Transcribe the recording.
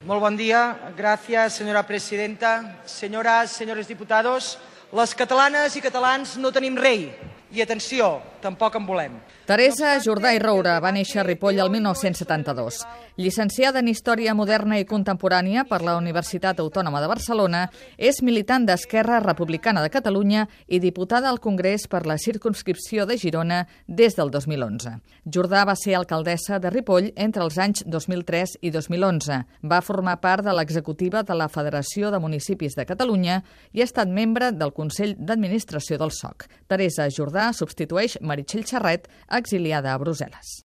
Molt bon dia. Gràcies, senyora presidenta. Senyores, senyores diputados, les catalanes i catalans no tenim rei. I atenció, tampoc en volem. Teresa Jordà i Roura va néixer a Ripoll el 1972. Llicenciada en Història Moderna i Contemporània per la Universitat Autònoma de Barcelona, és militant d'Esquerra Republicana de Catalunya i diputada al Congrés per la circumscripció de Girona des del 2011. Jordà va ser alcaldessa de Ripoll entre els anys 2003 i 2011. Va formar part de l'executiva de la Federació de Municipis de Catalunya i ha estat membre del Consell d'Administració del SOC. Teresa Jordà substitueix Meritxell Serret, exiliada a Brussel·les.